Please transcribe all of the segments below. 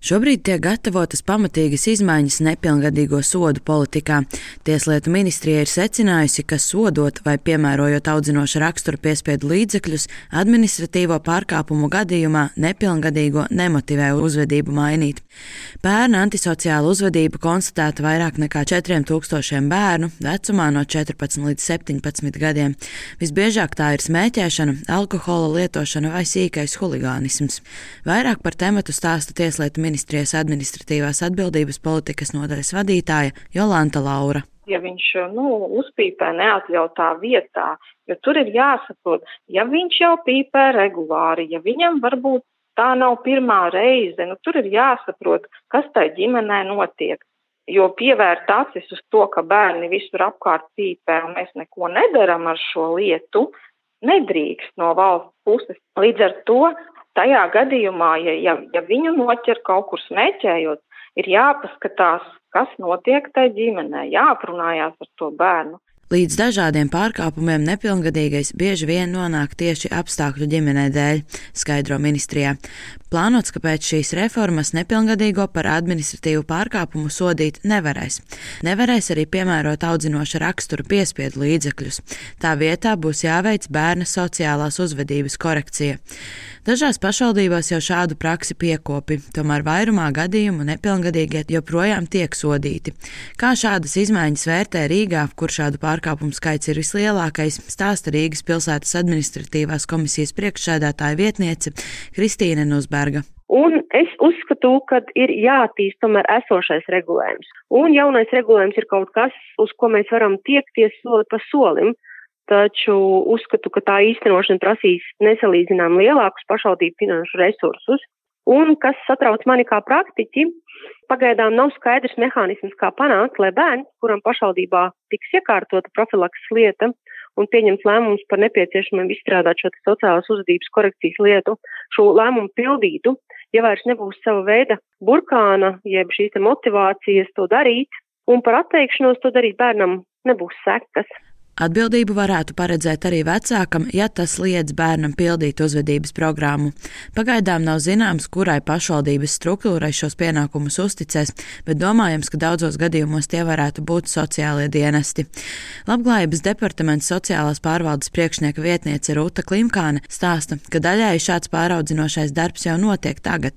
Šobrīd tiek gatavotas pamatīgas izmaiņas nepilngadīgo sodu politikā. Tieslietu ministrija ir secinājusi, ka sodot vai piemērojot audzinoša rakstura piespiedu līdzekļus, administratīvo pārkāpumu gadījumā nepilngadīgo nemotivē uzvedību mainīt. Pērn antisociāla uzvedība konstatēta vairāk nekā 4000 bērnu vecumā no 14 līdz 17 gadiem. Visbiežāk tā ir smēķēšana, alkohola lietošana vai sīkais huligānisms. Vairāk par tematu stāsta Tieslietu ministrijas administratīvās atbildības politikas nodaļas vadītāja Jolanta Laura. Ja viņš uzpīpē neatļautā vietā, jo tur ir jāsaprot, ja viņš jau pīpē regulāri, ja viņam varbūt tā nav pirmā reize, tur ir jāsaprot, kas tai ģimenē notiek. Jo pievērt acis uz to, ka bērni visur apkārt pīpē un mēs neko nedaram ar šo lietu, nedrīkst no valsts puses. Līdz ar to tajā gadījumā, ja viņu noķer kaut kur smēķējot, ir jāpaskatās, kas notiek tai ģimenē, jāaprunājās ar to bērnu. Līdz dažādiem pārkāpumiem nepilngadīgais bieži vien nonāk tieši apstākļu ģimenē dēļ, skaidro ministrijā. Plānots, ka pēc šīs reformas nepilngadīgo par administratīvu pārkāpumu sodīt nevarēs. Nevarēs arī piemērot audzinoša rakstura piespiedu līdzekļus. Tā vietā būs jāveic bērna sociālās uzvedības korekcija. Dažās pašvaldībās jau šādu praksi piekopi, tomēr vairumā gadījumu nepilngadīgie joprojām tiek sodīti. Kā šādas izmaiņas vērtē Rīgā, kur šādu pārkāpumu skaits ir vislielākais, stāsta Rīgas pilsētas administratīvās komisijas priekšsēdētāja vietniece Kristīne Nusberga. Un es uzskatu, ka ir jāattīst tomēr esošais regulējums. Un jaunais regulējums ir kaut kas, uz ko mēs varam tiekties soli pa solim. Taču uzskatu, ka tā īstenošana prasīs nesalīdzinām lielākus pašvaldību finanšu resursus. Un, kas satrauc mani kā praktiķi, pagaidām nav skaidrs mehānisms, kā panākt, lai bērns, kuram pašvaldībā tiks iekārtota profilakses lieta un pieņems lēmumus par nepieciešamību izstrādāt šo sociālās uzvedības korekcijas lietu, šo lēmumu pildītu, ja vairs nebūs sava veida burkāna, jeb šīs motivācijas to darīt, un par atteikšanos to darīt bērnam nebūs sekas. Atbildību varētu paredzēt arī vecākam, ja tas liedz bērnam pildīt uzvedības programmu. Pagaidām nav zināms, kurai pašvaldības struktūrai šos pienākumus uzticēs, bet domājams, ka daudzos gadījumos tie varētu būt sociālie dienesti. Labklājības departamenta sociālās pārvaldes priekšnieka vietniece Rūta Klimkāne stāsta, ka daļēji šāds pāraudzinošais darbs jau notiek tagad,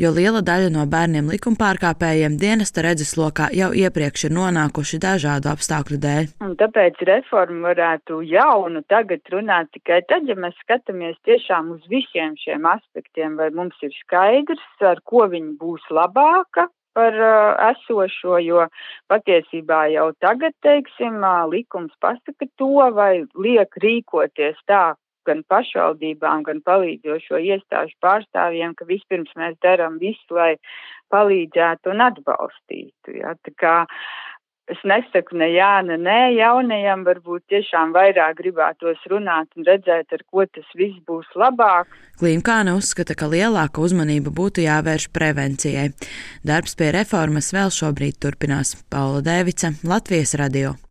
jo liela daļa no bērniem likumpārkāpējiem dienesta redzeslokā jau iepriekš ir nonākuši dažādu apstākļu dēļ. Tāpēc reforma varētu jaunu tagad runāt tikai tad, ja mēs skatāmies tiešām uz visiem šiem aspektiem, vai mums ir skaidrs, ar ko viņi būs labāka par esošo, jo patiesībā jau tagad, likums pasaka to, vai liek rīkoties tā, gan pašvaldībām, gan palīdzošo iestāžu pārstāvjiem, ka vispirms mēs darām visu, lai palīdzētu un atbalstītu. Ja? Tā kā es nesaku ne jā, ne nē, jaunajam varbūt tiešām vairāk gribētos runāt un redzēt, ar ko tas viss būs labāk. Klimkāne uzskata, ka lielāka uzmanība būtu jāvērš prevencijai. Darbs pie reformas vēl šobrīd turpinās. Paula Dēvica, Latvijas radio.